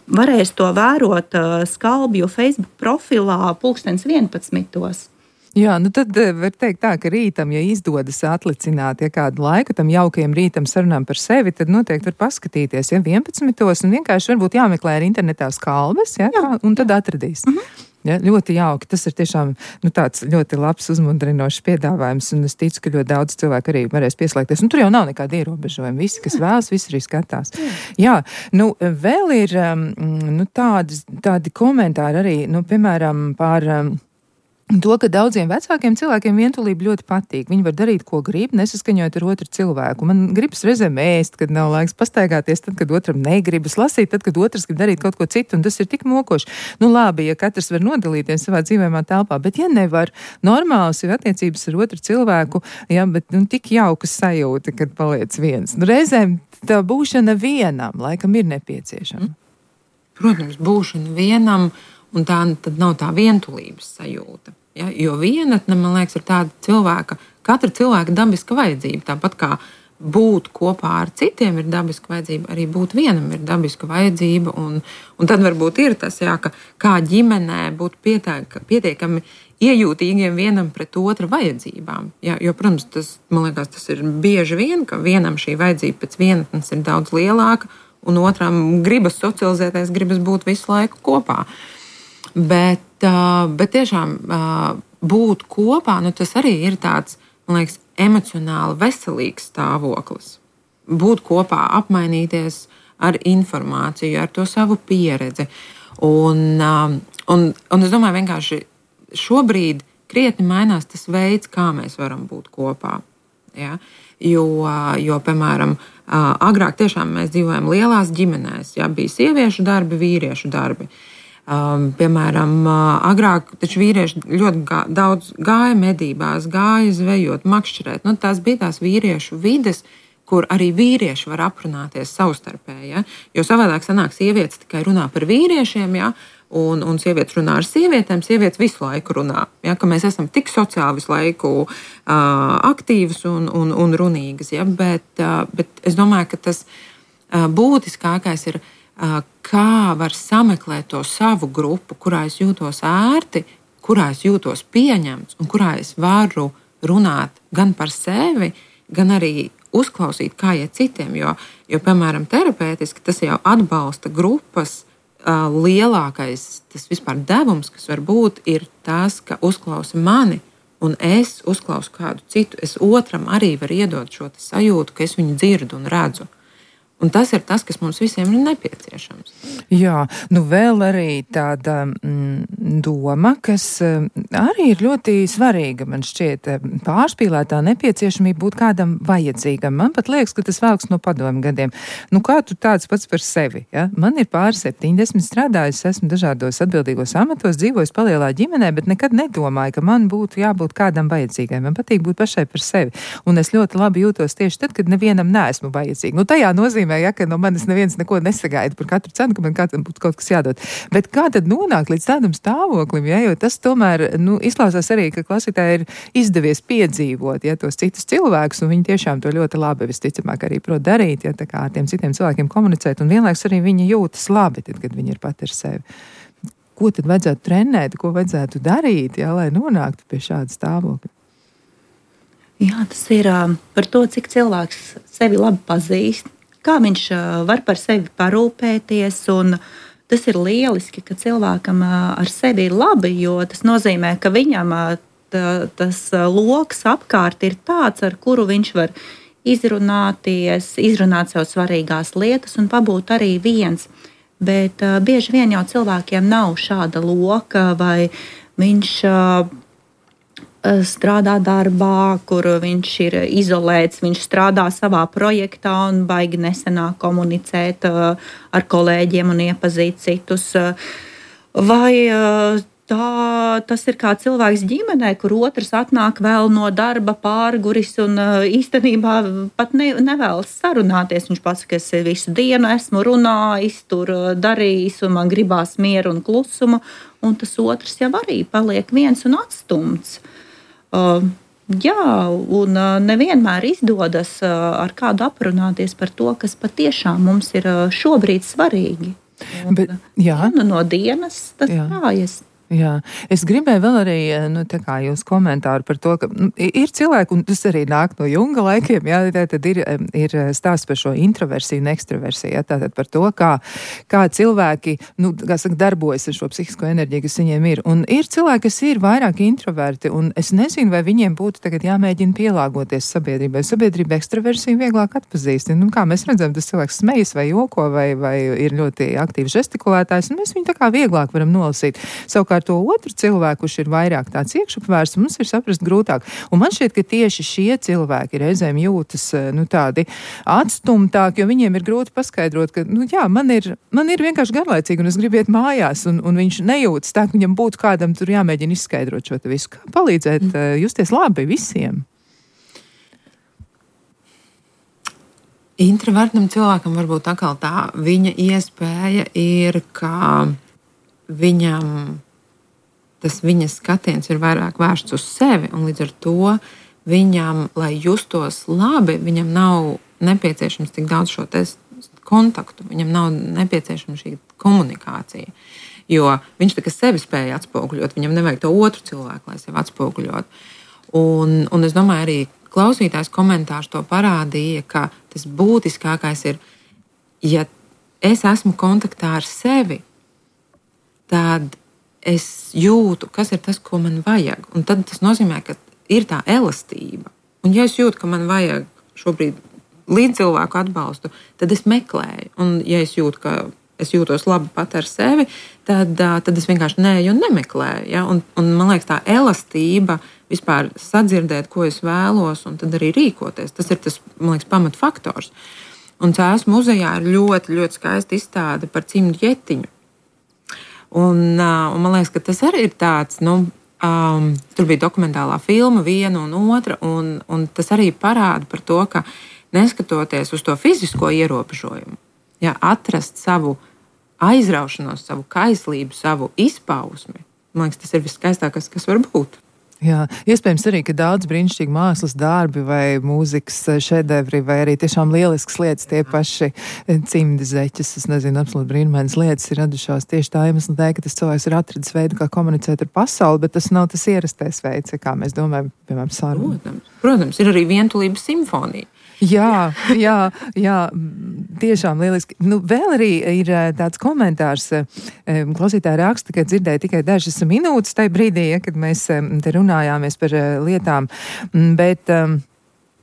varēs to vērot Skalbju Facebook profilā pulkstens vienpadsmitos. Jā, nu tad var teikt tā, ka rītam, ja izdodas atlicināt ja kādu laiku tam jaukajam rītam sarunām par sevi, tad noteikti var paskatīties, ja vienpadsmitos, un vienkārši varbūt jāmeklē arī internetā Skalbes, ja, jā, un tad atradīs. Mhm. Ja, ļoti jauki. Tas ir tiešām nu, tāds ļoti labs, uzmundrinošs piedāvājums, un es ticu, ka ļoti daudz cilvēku arī varēs pieslēgties. Un tur jau nav nekāda ierobežojuma. Visi, kas vēlas, visi arī skatās. Jā, Jā nu vēl ir nu, tādi, tādi komentāri arī, nu, piemēram, par to, ka daudziem vecākiem cilvēkiem vientulība ļoti patīk. Viņi var darīt, ko grib, nesaskaņojot ar otru cilvēku. Man gribas reizēm ēst, kad nav laiks, pastaigāties, tad, kad otram negribas, lasīt, tad, kad otrs grib darīt kaut ko citu, un tas ir tik mokoši. Nu labi, ja katrs var nodalīties savā dzīvējumā telpā, bet ja nevar, normāls ir attiecības ar otru cilvēku, ja, bet nu, tik jaukas sajūta, kad paliec viens. Nu, reizēm tā būšana vienam laikam ir nepieciešama. Protams, būšana vienam, un tā tad nav tā vientulības sajūta. Ja? Jo vienatne, man liekas, ir tāda cilvēka, katra cilvēka dabiska vajadzība. Tāpat kā būt kopā ar citiem ir dabiska vajadzība, arī būt vienam ir dabiska vajadzība. Un, un tad varbūt ir tas, jā, ka kā ģimenē būt pietiek, pietiekami iejūtīgiem vienam pret otra vajadzībām. Ja? Jo, protams, tas, man liekas, tas ir bieži vien, ka vienam šī vajadzība pēc vienatnes ir daudz lielāka, un otram gribas socializēties, gribas būt visu laiku kopā. Bet, bet tiešām būt kopā, nu, tas arī ir tāds, man liekas, emocionāli veselīgs stāvoklis. Būt kopā, apmainīties ar informāciju, ar to savu pieredzi. Un, un, un es domāju, vienkārši šobrīd krietni mainās tas veids, kā mēs varam būt kopā. Ja? Jo, jo, piemēram, agrāk tiešām mēs dzīvojam lielās ģimenēs. Ja? Bija sieviešu darbi, vīriešu darbi. Um, piemēram, uh, agrāk taču vīrieši ļoti gā, daudz gāja medībās, gāja zvejot, makšķerēt. Nu, tās bija tās vīriešu vides, kur arī vīrieši var aprunāties savstarpēji. Ja? Jo savādāk sanāk, sievietes tikai runā par vīriešiem, ja? un, un sievietes runā ar sievietēm, sievietes visu laiku runā. Ja? Ka mēs esam tik sociāli visu laiku uh, aktīvas un, un, un runīgas. Ja? Bet, uh, bet es domāju, ka tas uh, būtiskākais ir, kā var sameklēt to savu grupu, kurā es jūtos ērti, kurā es jūtos pieņemts un kurā es varu runāt gan par sevi, gan arī uzklausīt, kā iet citiem. Jo, jo piemēram, terapeitiski tas jau atbalsta grupas uh, lielākais tas vispār devums, kas var būt, ir tas, ka uzklausa mani un es uzklausu kādu citu. Es otram arī varu iedot šo sajūtu, ka es viņu dzirdu un redzu. Un tas ir tas, kas mums visiem ir nepieciešams. Jā, nu vēl arī tāda mm, doma, kas mm, arī ir ļoti svarīga, man šķiet, pārspīlētā nepieciešamība būt kādam vajadzīgam. Man pat liekas, ka tas velks no padomu gadiem. Nu, kā tu tāds pats par sevi? Ja? Man ir pāri septiņdesmit strādājis, esmu dažādos atbildīgos amatos, dzīvojis palielā ģimenē, bet nekad nedomāju, ka man būtu jābūt kādam vajadzīgam. Man patīk būt pašai par sevi. Un es ļoti labi jūtos tieši tad, kad nevienam neesmu vajadzīga. Nu, tajā nozīmē, ja, ka no manis neviens neko nesagaida par katru cenu, ka man kādam būtu kaut kas jādod. Bet kā tad nonākt līdz tādam stāvoklim, ja? Jo tas tomēr nu, izklausās arī, ka klausītāji ir izdevies piedzīvot ja, tos citus cilvēkus, un viņi tiešām to ļoti labi visticamāk arī prot darīt, ja tā kā ar tiem citiem cilvēkiem komunicēt, un vienlaiks arī viņi jūtas labi, tad, kad viņi ir pat ar sevi. Ko tad vajadzētu trenēt, ko vajadzētu darīt, ja, lai nonāktu pie šāda stāvokļa? Jā, tas ir uh, par to, cik cilvēks sevi labi pazīst, kā viņš var par sevi parūpēties, un tas ir lieliski, ka cilvēkam ar sevi ir labi, jo tas nozīmē, ka viņam tā, tas loks apkārt ir tāds, ar kuru viņš var izrunāties, izrunāt sev svarīgās lietas un pabūt arī viens. bet uh, bieži vien jau cilvēkiem nav šāda loka, vai viņš uh, strādā darbā, kur viņš ir izolēts, viņš strādā savā projektā un baigi nesenāk komunicēt uh, ar kolēģiem un iepazīt citus. Uh, vai uh, tā, tas ir kā cilvēks ģimenē, kur otrs atnāk vēl no darba pārguris un uh, īstenībā pat ne, nevēlas sarunāties. Viņš pasaka, ka es visu dienu esmu runājis, tur uh, darījis un man gribās mieru un klusumu, un tas otrs jau arī paliek viens un atstumts. Uh, jā, un uh, nevienmēr izdodas uh, ar kādu aprunāties par to, kas patiešām mums ir uh, šobrīd svarīgi. Un, Bet, jā. Dienu no dienas tas kājas. Jā, es gribēju vēl arī, nu, tā kā jūs komentāru par to, ka nu, ir cilvēki, un tas arī nāk no Junga laikiem, jā, tad ir, ir stāsts par šo introversiju un ekstraversiju, jā, tātad par to, kā, kā cilvēki, nu, kā saka, darbojas ar šo psihisko enerģiju, kas viņiem ir. Un ir cilvēki, kas ir vairāk introverti, un es nezinu, vai viņiem būtu tagad jāmēģina pielāgoties sabiedrībai. Sabiedrība ekstraversiju vieglāk atpazīst. Nu, kā mēs redzam, tas cilvēks smejas vai joko, vai, vai ir ļoti aktīvs žestikulētājs, un mēs viņu tā kā vieglāk varam nolasīt. Savukārt to otru cilvēku, kurš ir vairāk tāds iekšupvērsts, mums ir saprast grūtāk. Un man šķiet, ka tieši šie cilvēki reizēm jūtas, nu, tādi atstumtāki, jo viņiem ir grūti paskaidrot, ka, nu, jā, man ir, man ir vienkārši garlaicīgi, un es gribu iet mājās, un, un viņš nejūtas tā, ka viņam būtu kādam tur jāmēģina izskaidrot šo te visu. Kā palīdzēt mm. justies labi visiem? Introvertam cilvēkam varbūt atkal tā viņa iespēja ir, ka viņam tas viņas skatiens ir vairāk vērsts uz sevi, un līdz ar to viņam, lai justos labi, viņam nav nepieciešams tik daudz šo kontaktu, viņam nav nepieciešama šī komunikācija, jo viņš tā kā sevi spēja atspoguļot, viņam nevajag to otru cilvēku, lai sevi atspoguļot. Un, un es domāju, arī klausītājs komentārs to parādīja, ka tas būtiskākais ir, ja es esmu kontaktā ar sevi, tad es jūtu, kas ir tas, ko man vajag. Un tad tas nozīmē, ka ir tā elastība. Un ja es jūtu, ka man vajag šobrīd līdzcilvēku atbalstu, tad es meklēju. Un ja es jūtu, ka es jūtos labi pat ar sevi, tad, tad es vienkārši neeju un nemeklēju. Ja? Un, un man liekas, tā elastība vispār sadzirdēt, ko es vēlos, un tad arī rīkoties. Tas ir tas, man liekas, pamatfaktors. Un Cēsu muzejā ir ļoti, ļoti skaista izstāde par cimdu ķetiņu. Un, un man liekas, ka tas arī ir tāds, nu, um, tur bija dokumentālā filma viena un otra, un, un tas arī parāda par to, ka neskatoties uz to fizisko ierobežojumu, ja, atrast savu aizraušanos, savu kaislību, savu izpausmi, man liekas, tas ir viskaistākais, kas var būt. Jā, iespējams arī, ka daudz brīnišķīgi mākslas darbi vai mūzikas šedevri vai arī tiešām lielisks lietas, tie paši cimdi zeķes, es nezinu, absolūti brīnumainas lietas ir radušās tieši tā iemesla dēļ, ka tas cilvēks ir atradis veidu, kā komunicēt ar pasauli, bet tas nav tas ierastais veids, kā mēs domājam, piemēram, sarunu. Protams, protams, ir arī vientulības simfonija. Jā, jā, jā, tiešām lieliski. Nu, vēl arī ir tāds komentārs, klausītāji raksta, ka dzirdēja tikai dažas minūtes tajā brīdī, ja, kad mēs te runājāmies par lietām, bet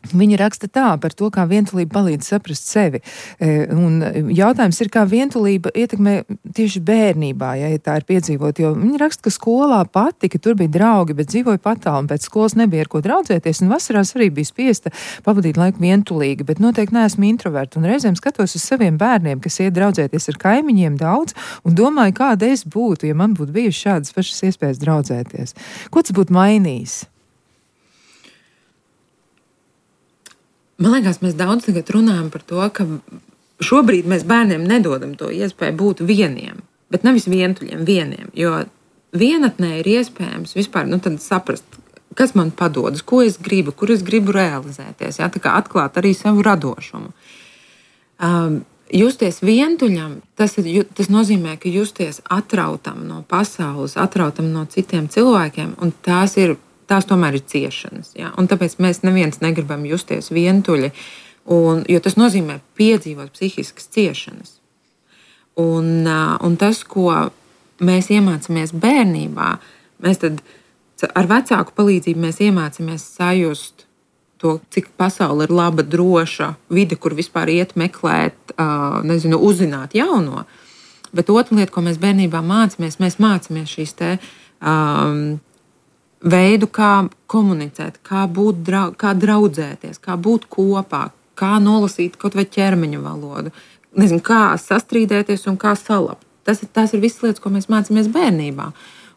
viņi raksta tā par to, kā vientulība palīdz saprast sevi. Un jautājums ir, kā vientulība ietekmē tieši bērnībā, ja tā ir piedzīvot, jo viņi raksta, ka skolā patika, tur bija draugi, bet dzīvoja patālu, un pēc skolas nebija ar ko draudzēties, un vasarās arī bija spiesta pavadīt laiku vientulīgi, bet noteikti neesmu introverta, un reizēm skatos uz saviem bērniem, kas iet draudzēties ar kaimiņiem daudz, un domāju, kāda es būtu, ja man būtu bijuši šādas pašas iespējas draudzēties. Ko tas būtu mainījis? Man liekas, mēs daudz tagad runājam par to, ka šobrīd mēs bērniem nedodam to iespēju būt vieniem, bet nevis vientuļiem, vieniem. Jo vienatnē ir iespējams vispār nu, saprast, kas man padodas, ko es gribu, kur es gribu realizēties. Jā, tā kā atklāt arī savu radošumu. Um, justies vientuļam, tas, ir, tas nozīmē, ka justies atrautam no pasaules, atrautam no citiem cilvēkiem, un tās ir. Tās tomēr ir ciešanas. Ja? Un tāpēc mēs neviens negribam justies vientuļi, un, jo tas nozīmē piedzīvot psihiskas ciešanas. Un, un tas, ko mēs iemācāmies bērnībā, mēs tad ar vecāku palīdzību mēs iemācāmies sajust to, cik pasaule ir laba, droša vide, kur vispār iet meklēt, nezinu, uzzināt jauno. Bet otra lieta, ko mēs bērnībā mācāmies, mēs mācāmies šīs te um, veidu, kā komunicēt, kā būt, drau, kā draudzēties, kā būt kopā, kā nolasīt kaut vai ķermeņa valodu, nezinu, kā sastrīdēties un kā salabt. Tas, tas ir visas lietas, ko mēs mācāmies bērnībā.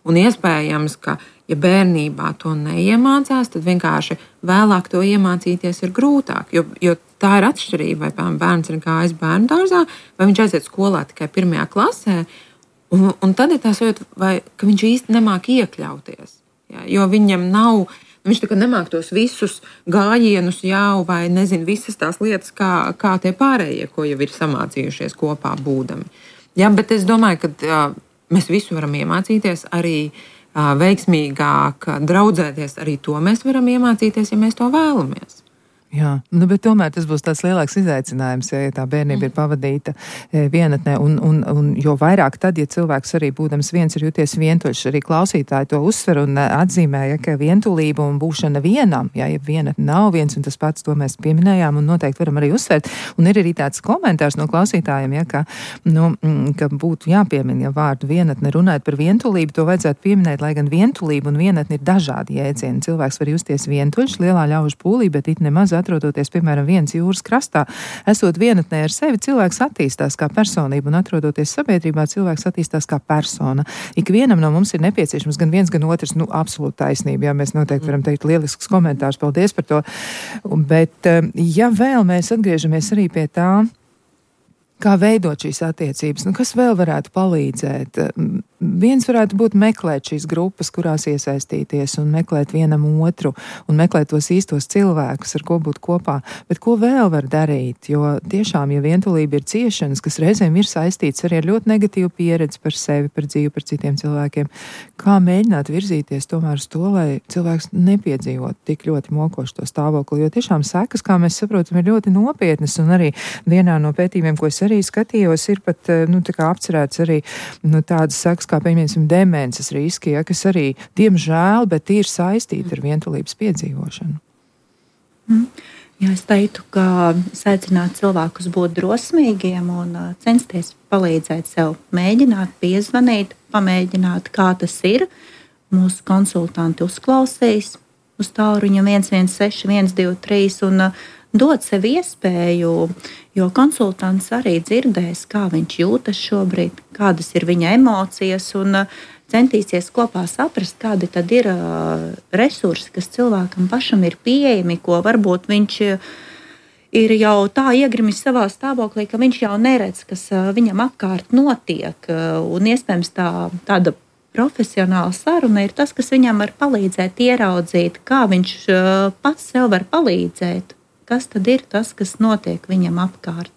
Un iespējams, ka, ja bērnībā to neiemācās, tad vienkārši vēlāk to iemācīties ir grūtāk. Jo, jo tā ir atšķirība, vai piemēram, bērns ir gājis bērnu dārzā, vai viņš aiziet skolā tikai pirmajā klasē. Un, un tad ir tā sajūta, vai, ka viņš īsti nemāk iekļauties. Ja, jo viņam nav, viņš tā kā nemāk tos visus gājienus jau, vai nezinu, visas tās lietas, kā, kā tie pārējie, ko jau ir samācījušies kopā būdami. Ja, bet es domāju, ka uh, mēs visu varam iemācīties, arī uh, veiksmīgāk draudzēties, arī to mēs varam iemācīties, ja mēs to vēlamies. Jā, nu, bet tomēr tas būs tāds lielāks izaicinājums, ja tā bērnība ir pavadīta vienatnē, un, un, un jo vairāk tad, ja cilvēks arī būdams viens ir jūties vientuļš, arī klausītāji to uzsver un atzīmē, ja, ka vientulība un būšana vienam, ja, ja vienatne nav viens un tas pats, to mēs pieminējām un noteikti varam arī uzsvert, un ir arī tāds komentārs no klausītājiem, ja, ka, nu, ka būtu jāpiemina, ja vārdu vienatne runājot par vientulību, to vajadzētu pieminēt, lai gan vientulība un vienatne ir dažādi jēdzieni. Cilvēks var justies vientuļš, lielā ļaužu pūlī, bet it nemaz atrodoties, piemēram, viens jūras krastā, esot vienatnē ar sevi, cilvēks attīstās kā personība, un atrodoties sabiedrībā, cilvēks attīstās kā persona. Ikvienam no mums ir nepieciešams gan viens, gan otrs, nu, absolūti taisnība, jā, mēs noteikti varam teikt lielisks komentārs, paldies par to, bet, ja vēl mēs atgriežamies arī pie tā, kā veidot šīs attiecības, nu, kas vēl varētu palīdzēt? Viens varētu būt meklēt šīs grupas, kurās iesaistīties un meklēt vienam otru un meklēt tos īstos cilvēkus, ar ko būt kopā. Bet ko vēl var darīt? Jo tiešām, ja vientulība ir ciešanas, kas reizēm ir saistīts arī ar ļoti negatīvu pieredzi par sevi, par dzīvi, par citiem cilvēkiem, kā mēģināt virzīties tomēr uz to, lai cilvēks nepiedzīvot tik ļoti mokošu to stāvokli, jo tiešām sekas, kā mēs saprotam, ir ļoti nopietnas, un arī vienā no pētījumiem, ko es arī skatījos, ir pat, nu, tā kā apcerēts arī, nu, tādas sekas, kā, piemēram, demences riski, ja, kas arī, diemžēl, bet ir saistīti ar vientulības piedzīvošanu. Mm. Jā, es teiktu, ka aicinātu cilvēkus būt drosmīgiem un uh, censties palīdzēt sev, mēģināt piezvanīt, pamēģināt, kā tas ir. Mūsu konsultanti uzklausīs uz tālruņa viens viens seši viens divi trīs un uh, dot sev iespēju, jo konsultants arī dzirdēs, kā viņš jūtas šobrīd, kādas ir viņa emocijas, un centīsies kopā saprast, kādi tad ir resursi, kas cilvēkam pašam ir pieejami, ko varbūt viņš ir jau tā iegrimis savā stāvoklī, ka viņš jau neredz, kas viņam apkārt notiek, un iespējams tā, tāda profesionāla saruna ir tas, kas viņam var palīdzēt ieraudzīt, kā viņš pats sev var palīdzēt. Kas tad ir tas, kas notiek viņam apkārt?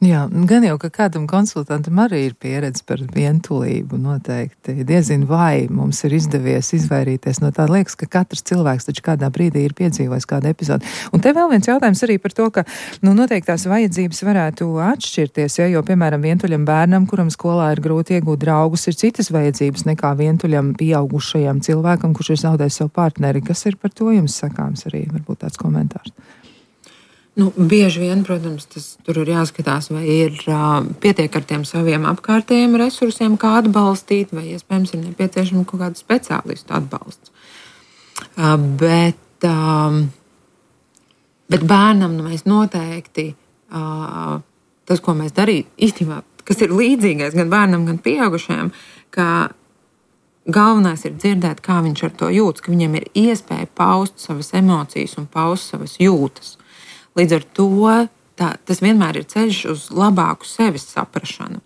Jā, gan jau, ka kādam konsultantam arī ir pieredze par vientulību noteikti. Diezin vai mums ir izdevies izvairīties no tā. Liekas, ka katrs cilvēks taču kādā brīdī ir piedzīvojis kādu epizodi. Un te vēl viens jautājums arī par to, ka, nu, noteikti tās vajadzības varētu atšķirties, ja, jo, piemēram, vientuļam bērnam, kuram skolā ir grūti iegūt draugus, ir citas vajadzības nekā vientuļam pieaugušajam cilvēkam, kurš ir zaudējis savu partneri. Kas ir par to jums sakāms arī? Varbūt tāds komentārs. Nu, bieži vien, protams, tas tur ir jāskatās, vai ir uh, pietiek ar tiem saviem apkārtējiem resursiem, kā atbalstīt, vai iespējams ir nepieciešama kaut kāda speciālistu atbalsts. Uh, bet, um, bet bērnam nu, mēs noteikti uh, tas, ko mēs darītu, īstenībā, kas ir līdzīgais gan bērnam, gan pieaugušajam, ka galvenais ir dzirdēt, kā viņš ar to jūtas, ka viņam ir iespēja paust savas emocijas un paust savas jūtas. Līdz ar to tā, tas vienmēr ir ceļš uz labāku sevis saprašanu.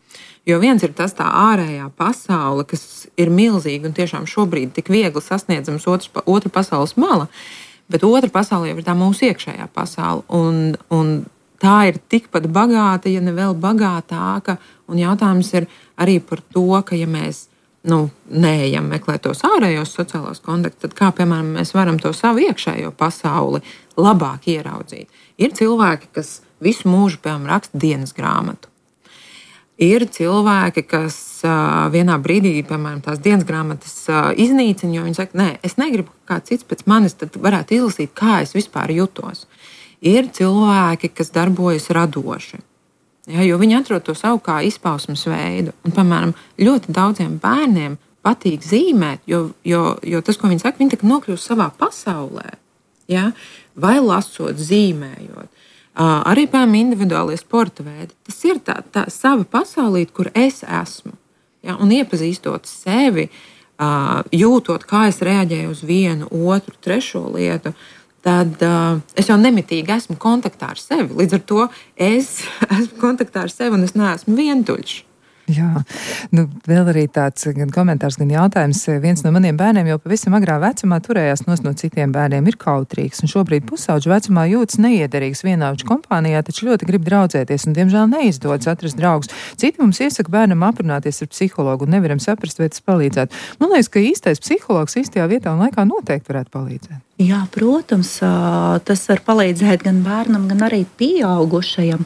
Jo viens ir tas tā ārējā pasaule, kas ir milzīga un tiešām šobrīd tik viegli sasniedzams otrs, otra pasaules mala, bet otra pasaule jau ir tā mūsu iekšējā pasaule. Un, un tā ir tikpat bagāta, ja ne vēl bagātāka. Un jautājums ir arī par to, ka ja mēs nu, neejam meklēt tos ārējos sociālos kontaktus, tad kā, piemēram, mēs varam to savu iekšējo pasauli labāk ieraudzīt. Ir cilvēki, kas visu mūžu, piemēram, raksta dienas grāmatu. Ir cilvēki, kas uh, vienā brīdī, piemēram, tās dienas grāmatas uh, iznīcina, jo viņi saka, nē, es negribu, ka kāds cits pēc manis tad varētu izlasīt, kā es vispār jutos. Ir cilvēki, kas darbojas radoši. Ja, jo viņi atrod to savu kā izpausmes veidu. Un, piemēram, ļoti daudziem bērniem patīk zīmēt, jo, jo, jo tas, ko viņi saka, viņi tā kā nokļūst savā pasaulē. Ja? Vai lasot, zīmējot. Uh, arī, piemēram, individuālie sporta veidi. Tas ir tā, tā sava pasaulīte, kur es esmu. Ja? Un iepazīstot sevi, uh, jūtot, kā es reaģēju uz vienu, otru, trešo lietu, tad uh, es jau nemitīgi esmu kontaktā ar sevi. Līdz ar to es esmu kontaktā ar sevi un es neesmu vientuļš. Jā, nu, vēl arī tāds gan komentārs, gan jautājums. Viens no maniem bērniem jau pavisam agrā vecumā turējās nos no citiem bērniem, ir kautrīgs, un šobrīd pusauģu vecumā jūtas neiederīgs vienaudžu kompānijā, taču ļoti grib draudzēties, un diemžēl neizdodas atrast draugus. Citi mums iesaka bērnam aprunāties ar psihologu, un nevaram saprast, vai tas palīdzētu. Man liekas, ka īstais psihologs īstajā vietā un laikā noteikti varētu palīdzēt. Jā, protams, tas var palīdzēt gan bērnam, gan arī pieaugušajam.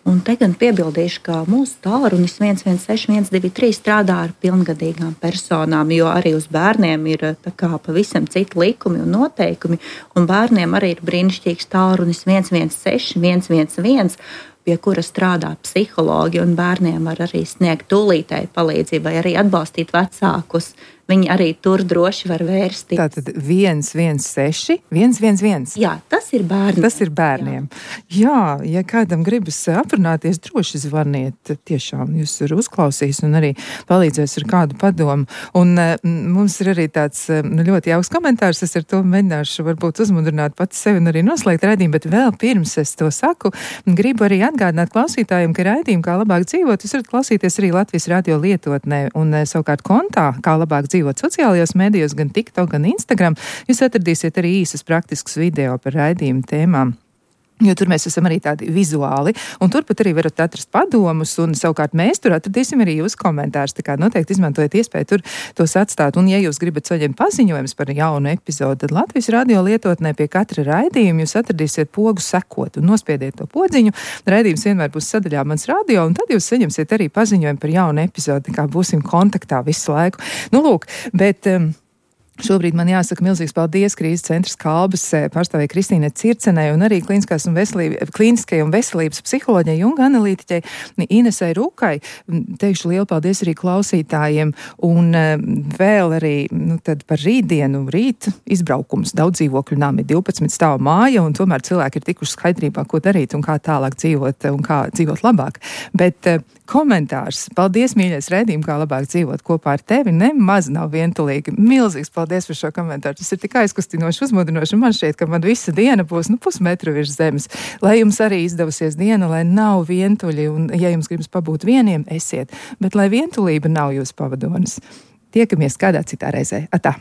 Un te gan piebildīšu, ka mūsu tālrunis viens viens seši viens divi trīs strādā ar pilngadīgām personām, jo arī uz bērniem ir tā kā pavisam citi likumi un noteikumi. Un bērniem arī ir brīnišķīgs tālrunis viens viens seši viens viens viens, pie kura strādā psihologi, un bērniem var arī sniegt tūlītēju palīdzību vai arī atbalstīt vecākus. Viņi arī tur droši var vērsties. Tātad viens viens seši viens viens viens. Jā, tas ir bērniem. Tas ir bērniem. Jā, Jā ja kādam gribas aprunāties, droši zvaniet. Tiešām jūs ir uzklausījis un arī palīdzēs ar kādu padomu. Un m, mums ir arī tāds nu, ļoti jauks komentārs. Es ar to mēģināšu varbūt uzmudrināt pats sevi un arī noslēgt raidījumu, bet vēl pirms es to saku, gribu arī atgādināt klausītājiem, ka raidījumu Kā labāk dzīvot, jūs varat klausīties arī Latvijas radio lietotnē un savukārt kontā Kā labāk dzīvot. Dzīvot sociālajos medijos, gan TikTok, gan Instagram, jūs atradīsiet arī īsas praktiskas video par raidījumu tēmām. Jo tur mēs esam arī tādi vizuāli, un turpat arī varat atrast padomus, un savukārt mēs tur atradīsim arī jūsu komentārus. Tā kā noteikti izmantojiet iespēju tur tos atstāt. Un, ja jūs gribat saņemt paziņojumus par jaunu epizodu, tad Latvijas radio lietotnē pie katra raidījuma jūs atradīsiet pogu sekot un nospiediet to podziņu. Raidījums vienmēr būs sadaļā Mans radio, un tad jūs saņemsiet arī paziņojumu par jaunu epizodu, kā būsim kontaktā visu laiku. Nu, lūk, bet... Um, Šobrīd man jāsaka milzīgs paldies Krīzes centra Kalbas pārstāvēja Kristīnai Circenei un arī klīniskās un veselības, klīniskai un veselības psiholoģijai un analītiķei Inesai Rukai. Teikšu lielu paldies arī klausītājiem un vēl arī nu, tad par rītdienu, rīt izbraukums. Daudz dzīvokļu nami, divpadsmit stāvu māja, un tomēr cilvēki ir tikuši skaidrībā, ko darīt un kā tālāk dzīvot un kā dzīvot labāk. Bet komentārs. Paldies, mīļais raidījums, Kā labāk dzīvot kopā ar tevi. Nemaz nav vientulīgi. Milzīgs paldies par šo komentāru. Tas ir tik aizkustinoši, uzmudinoši. Man šķiet, ka man visa diena būs nu, pusmetru virs zemes. Lai jums arī izdevusies diena, lai nav vientuļi, un ja jums gribas pabūt vieniem, esiet. Bet lai vientulība nav jūsu pavadonis. Tiekamies kādā citā reizē. Atā!